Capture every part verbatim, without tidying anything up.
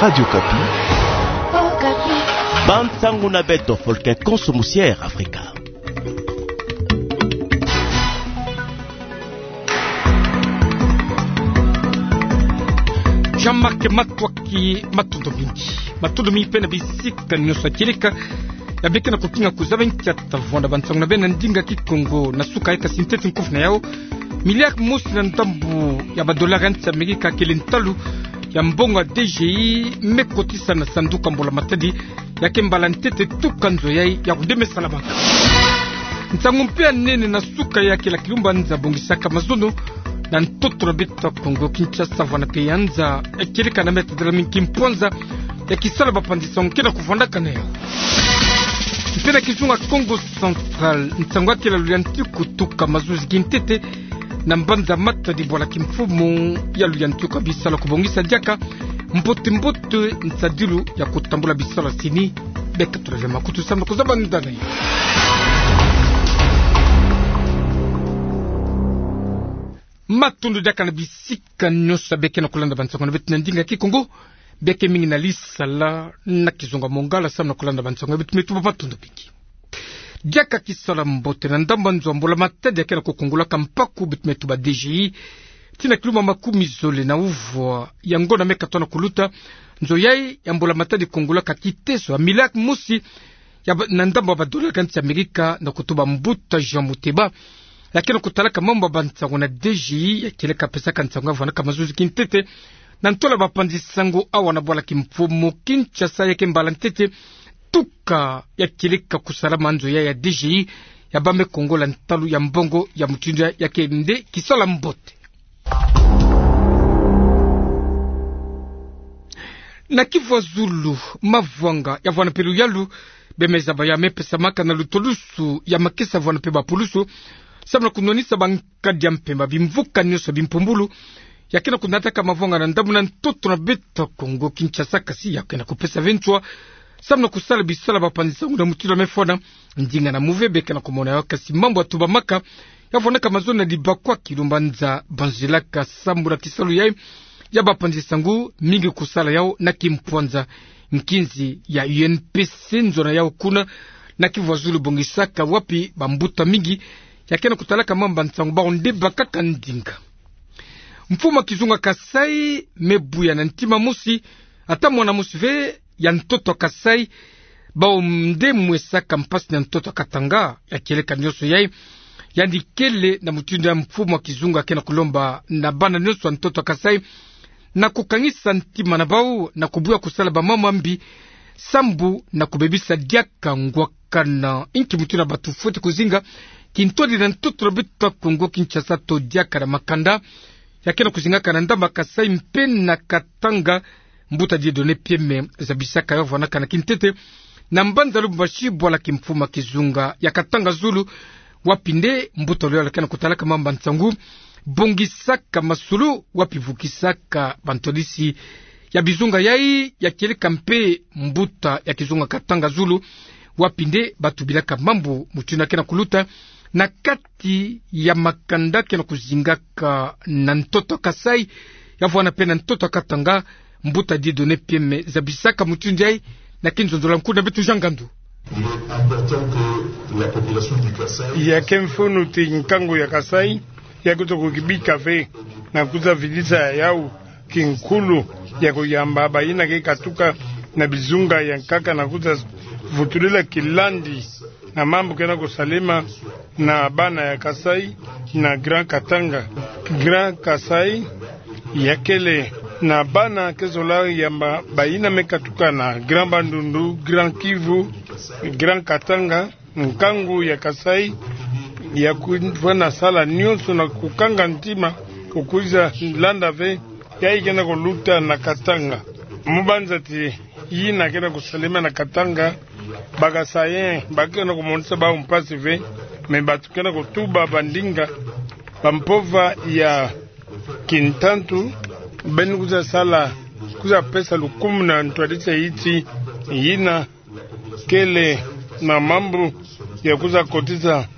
Radio Okapi. Bansango na beto, folklore konso musi Afrika. Jean-Marc Matsoua, matondo mingi. Matondo mingi mpe na bisika nyonso ya kieleka ya bie ke na kokinga kuzabe nkia ta vwanda bansango na beno na ndinga Kikongo. Na suka ya kati ntete nkufi na yau, miliari mosi na ndambu ya badola ya nsi ya Amerika kele ntalu ya mbongo ya D G I me kotisa na sanduku ya mbula matadi ya ke mbala ntete tuka nzo yai ya kundeme salamaka. Nsangu mpe ya nene na suka ya kele kilumbu nza bongisaka mazono na ntoto na beto ya Kongo Kinshasa, vwanda mpe ya nza ya kieleka na meta dela mingi kimpwanza ya kisala bapanzi nsangu ke na kuvwandaka na yau. Mpe na kizunga Kongo Central, nsangu ya kele luyantiku tuka mazuzi kintete na mbanza Matadi bwala kimfumu ya luyantiku ya bisala kubongisa diaka mbote mbote nsadilu ya kutambula bisala sini. Beka tulave makutu samu na kuzaba ndani. Matondo diaka na bisika nyonso bie ke na kulanda bansango na beto na ndinga Kikongo, bie ke mingi na lisala na kizunga Lingala samu na kulanda bansango na beto, me tuba matondo mingi. Diaka kisala mbote na ndambu ya nzo ya mbula matadi ya ke na kukungulaka mpaku beto me tuba D G I, tii na kilumbu makumi zole na uvwa ya ngonda me katoto na kuluta, nzo yai ya mbula matadi kungulaka kiteso ya miliari mosi ya ba-, na ndambu ya badola ya nsi ya Amerika, na kutuba mbuta Jean Muteba ya ke na kutalaka mambu ya bansangu na D G I ya kieleka pesaka nsangu ya vwandaka mazuzi kintete na ntwala bapanzi nsangu awa na bwala kimfumu Kinshasa ya ke mbala ntete tuka ya kieleka kusalama nzo yai ya D G I ya bambe kungola ntalu ya mbongo ya mutindu yai. Ya ke nde kisala mbote. Na kivu ya zulu, mavwanga ya vwanda mpe luyalu bie me zaba ya me pesamaka na lutolusu ya makesa vwanda mpe bapulusu samu na kunwanisa bankadi ya mpemba bimvuka nyonso bimpumbulu ya ke na kunataka mavwanga na ndambu na ntoto na beto ya Kongo Kinshasa, kasi ya ke na kupesa ve nswa samu na kusala bisala bapanzi nsangu na mutindu ya me fwana. Ndinga na muve bie ke na kumona yau, kasi mambu ya tubamaka ya vwandaka mazono na dibakwa kilumbu nza banzilaka samu na kisalu yai ya bapanzi nsangu, mingi kusala yau na kimpwanza. Nkinzi ya U N P C nzona yau kuna na kivu ya zulu bongisaka wapi bambuta mingi ya ke na kutalaka mambu ya nsangu bawu nde bakaka ndinga. Mfumu ya kizunga Kasai me buya na ntima mosi, ata mwana mosi ve ya ntoto ya Kasai, bawu nde mwesaka mpasi na ntoto ya Katanga. Ya kieleka nyonso yai, yandi kele na mutindu ya mfumu ya kizunga ke na kulomba na bana nyonso ya ntoto ya Kasai na kukangisa ntima na bawu na kubuya kusala bamambu ya mbi sambu na kubebisa diaka ngwakana. Inki mutindu ya bato fweti kuzinga kintwadi na ntoto na beto ya Kongo Kinshasa to diaka na makanda ya ke na kuzingaka na ndambu ya Kasai mpe na Katanga. Mbuta Dieudonné Pieme zabisaka yau, vwandaka na kintete na mbanza Lubumbashi bwala kimfumu ya kizunga ya Katanga Zulu, wapi nde mbuta luyalu ke na kutalaka mambu ya nsangu bongisaka masolo, wapi vukisaka bantwadisi ya bizunga yai ya kieleka mpe mbuta ya kizunga Katanga Zulu, wapi nde batubilaka mambu mutindu ya ke na kuluta na kati ya makanda ke na kuzingaka na ntoto ya Kasai ya vwanda mpe na ntoto ya Katanga. Mbuta Dieudonné Pieme zabisaka mutindu yai na kinzonzolo ya nkuna beto Jean Ngandu. Ya ke mfunu ti nkangu ya Kasai ya kuto kukibika ve na kuza vidisa yau kinkulu ya kuyamba bayina ke katuka na bizunga ya nkaka na kuza vutulila kilandi na mambu ke na kusalema na bana ya Kasai na Grand Katanga. Grand Kasai ya kele na bana ke zola yamba bayina me katuka na Grand Bandundu, Grand Kivu, Grand Katanga. Nkangu ya Kasai ya kufwana sala nyonso na kukanga ntima, kukuiza landa ve yai ke na kuluta na Katanga. Mu banza ti yina ke na kusalema na Katanga, ba Kasaïens ba ke na kumonisa bawu mpasi ve, mais bato ke na kutuba bandinga, bampova ya kintantu, beno kuza sala, kuza pesa lukumu na ntwadisi ya yiti yina kele na mambu ya kuza kotisa,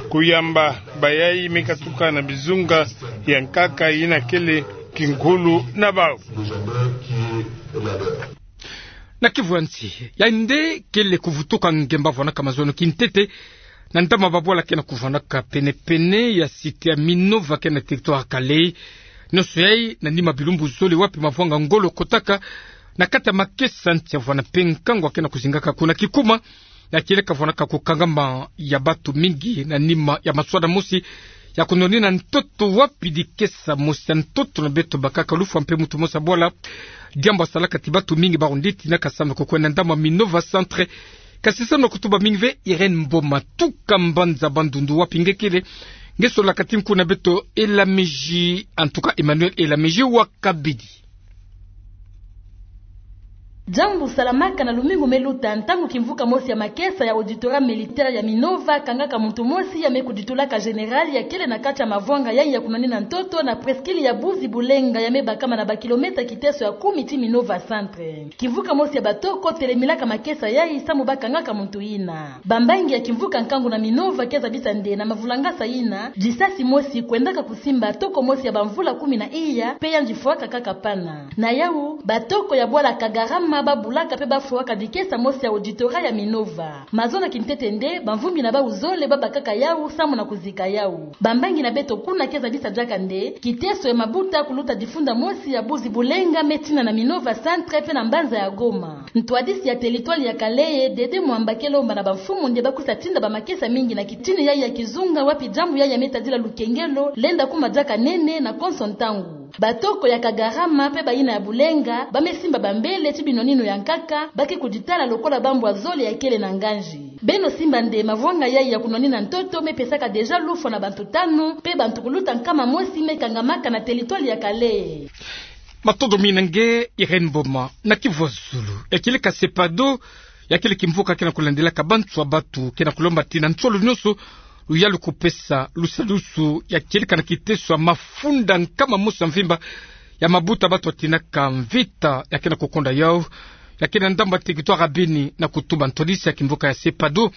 kuyamba bayai me katuka na bizunga ya nkaka yina kele kinkulu na bau. Na kivu ya nsi, yandi kele kuvutuka ngemba vwanaka mazono kintete na ndama babwala kena kuvwanaka pene-pene ya site ya Minova kena territoire ya Kalehe. Nionso yayi na nima bilumbu zole wapi mavwanga ngolo kotaka na kati ya makesa nti ya vwana mpe nkangu akena kuzingaka kuna kikuma ya kieleka vwanaka kukangama ya batu mingi na nima ya maswada mosi ya kunonina ntoto wapi dikesa mosi ya ntoto na beto bakaka lufwa mpe muntu mosi ya bwala. Diambu yasalaka ti batu mingi barundi tinaka samu na kukwenda ndama Minova Centre. Kasi samu na kutuba mingi ve, Irène Mboma, tuka mbanza Bandundu wapi nge kele, nge sololaka ti nku na beto Elamiji, en tout cas Emmanuel Elamiji wa Kabidi. Diambu salamaka na lumingu me luta, ntangu kimvuka mosi ya makesa ya auditorat militaire ya Minova kangaka muntu mosi ya me kuditulaka général ya kele na kati ya mavwanga yayi ya kunonina ntoto na presqu'île ya Buzi Bulenga ya me bakama na bakilomètre kiteso ya kumi ti Minova Centre. Kimvuka mosi ya batoko telemilaka makesa yayi samu bakangaka muntu yina. Bambangi ya kimvuka nkangu na Minova ke zabisa nde na mavulangasa yina, disasi mosi kwendaka kusimba toko mosi ya bamvula kumi na iya, mpe yandi fwaka kaka pana. Na yawu, batoko ya bwala Kagarama babulaka mpe bafwaka dikesa mosi ya auditorat ya Minova. Mazono kintete nde, bamvumbi na bau zole babakaka yawu samu na kuzika yawu. Bambangi na beto kuna ke zabisa diaka nde, kiteso ya mabuta kuluta difunda mosi ya Buzi Bulenga me tina na Minova Centre mpe na mbanza ya Goma. Ntwadisi ya territoire ya Kalehe, Dede Mwamba ke lomba na bamfumu nde bakwiza tinda bamakesa mingi na kitini yayi ya kizunga wapi diambu yayi ya me tadila lukengelo lenda kuma diaka nene na konso ntangu. Batoko ya Kagarama mpe bayina ya Bulenga ba me simba bambele ti binonino ya nkaka, ba ke kuditala lokola bambwa zole ya kele na nganzi. Beno simba nde mavwanga yayi ya kunonina ntoto me pesaka déjà lufwa na bantu tanu, mpe bantu kuluta nkama mosi me kangamaka na territoire ya Kalehe. Matondo mingi na nge Irène Mboma. Na kivu ya zulu, ya kieleka SEPADO, ya kele kimvuka kena kulandelaka banswa batu, kena kulomba ti na nsolo nionso luyalu kupesa lusalusu ya kieleka na kiteso ya mafunda nkama mosi ya mvimba ya mabuta batu batinaka mvita ya kena kukonda yawu, ya kele na ndambu ya territoire ya Beni, na kutuba ntwadisi ya kimvuka ya SEPADO,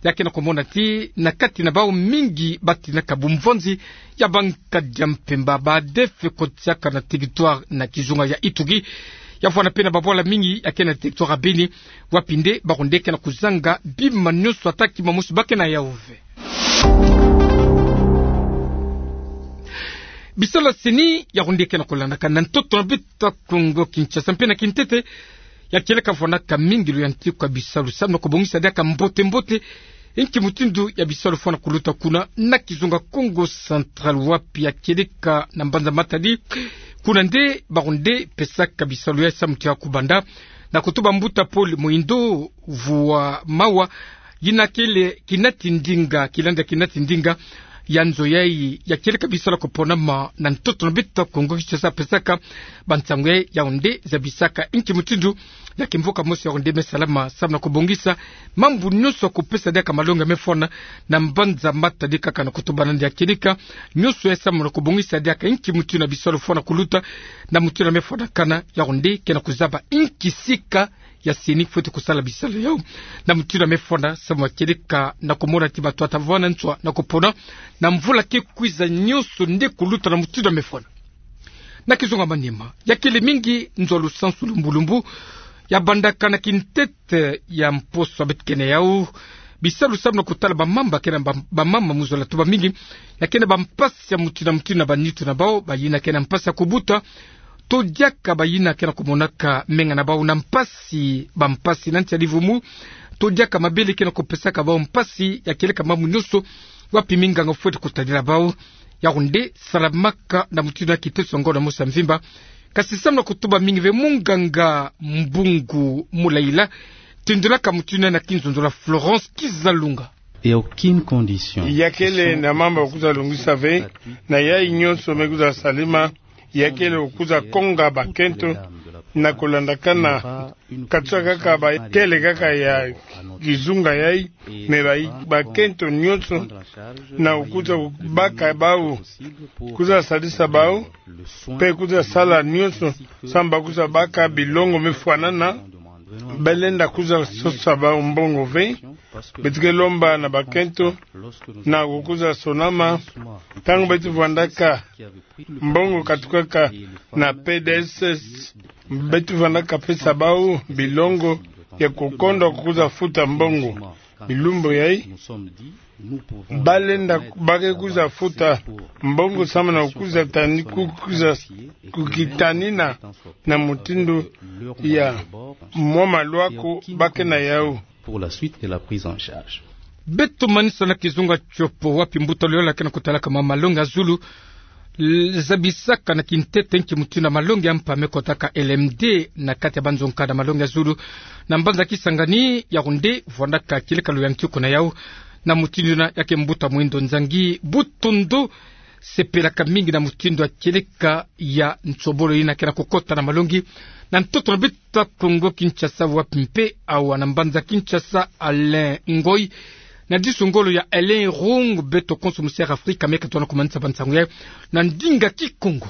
ya kena kumona ti na kati na bau mingi batinaka bumvonzi ya bankadi ya mpemba, ba ADF, kotiaka na territoire na kizunga ya Ituri. Ya vwanda mpe na babwala mingi ya kele na territoire ya Beni, wapi nde barundi kena kuzanga bima nionso ata kima mosi ba kena yawu ve. Bisalu ya CENI ya rundi kena kulandaka na ntoto na beto ya Kongo Kinshasa mpe na kintete, ya kieleka vwanaka mingi luyantiku ya bisalu samu na kubongisa diaka mbote-mbote inki mutindu ya bisalu fwana kuluta kuna na kizunga Kongo Central, wapi ya kieleka na mbanza Matadi, kuna nde barundi pesaka bisalu ya samu tia kubanda, na kutuba mbuta Paul Moindo Vua Mawa, yina kele kinati ndinga, kilanda kinati ndinga ya nzo yayi ya kieleka bisalu ya kuponama na ntoto na beto ya Kongo Kinshasa, pesaka bansangu yayi, yawu nde zabisaka inki mutindu ya kimvuka mosi yawu nde me salama samu na kubongisa mambu nionso ya kupesa diaka malongi ya me fwana na mbanza Matadi, kaka na kutuba nde ya kieleka nionso ya samu na kubongisa diaka inki mutindu ya bisalu fwana kuluta, na mutindu ya me fwanakana, yawu nde kena kuzaba inki sika ya CENI fwete kusala bisalu yawu na mutindu ya me fwana samu ya kieleka na kumona ti bato bata vwanda nswa na kupona na mvula ke kwiza nionso nde kuluta na mutindu ya me fwana. Na kizunga Maniema, ya kele mingi nzo ya lusansu lumbu-lumbu ya bandaka na kintete ya mposo ya beto kena yawu bisalu samu na kutala bamama, kena ba-, bamama mu zola tuba mingi ya kena bampasi ya mutindu na mutindu na banitu na bau, bayina kena mpasi ya kubuta, to diaka bayina kena kumonaka menga na bau na mpasi, bampasi na nsi ya livumu, to diaka mabele kena kupesaka bau mpasi, ya kieleka mambu nionso wapi minganga fwete kutadila bau. Yawu nde salamaka na mutindu na kiteso ya ngonda mosi ya mvimba. Kasi samu na kutuba mingi ve, munganga Mbungu Mulaila, tindilaka mutindu na kinzonzolo ya Florence Kizalunga. Et aucune condition. Ya kele na mambu ya kwiza longisa ve, na yayi nionso me kwiza salama, ya kele kwiza konga bakento na kulandakana, katsa kaka ba kele kaka ya kizunga yayi, mais ba, bakento nionso na kwiza baka bau, kwiza salisa bau, mpe kwiza sala nionso samu ba kwiza baka bilongo me fwanana, ba lenda kwiza sosa bau mbongo ve, Beto ke lomba na bakento na kukuza sonama, ntangu beto vwandaka mbongo katukaka na pdss, beto vwandaka pesa bau bilongo ya kukonda kukuza futa mbongo. Bilumbu yai, balenda ba ke kuza futa mbongo samu na kukuza tani, kukuza kukitanina na mutindu ya mwa maluaku ba ke na yau. Pour la suite de la prise en charge. Beto manisa na kizunga tiopo wapi mbuta luyala ke na kutalaka mwa malongi ya zulu, zabisaka na kintete nki mutindu ya malongi ya mpa me kotaka L M D na kati ya banzonka na malongi ya zulu na mbanza Kisangani. Yaoundé, vwandaka kieleka luyantika na yau na mutindu yina ya ke mbuta Muhindo Nzangi Butondo. Sepelaka mingi na mutindu ya kieleka ya nsobolo yina ke na kukota na malongi na ntoto na beto ya Kongo Kinshasa, wapi mpe awa na mbanza Kinshasa, Alain Ngoy, na disu ngolo ya Alain Rung, beto konso musi ya Afrika me ke tona kumanisa bansangu yai na ndinga Kikongo.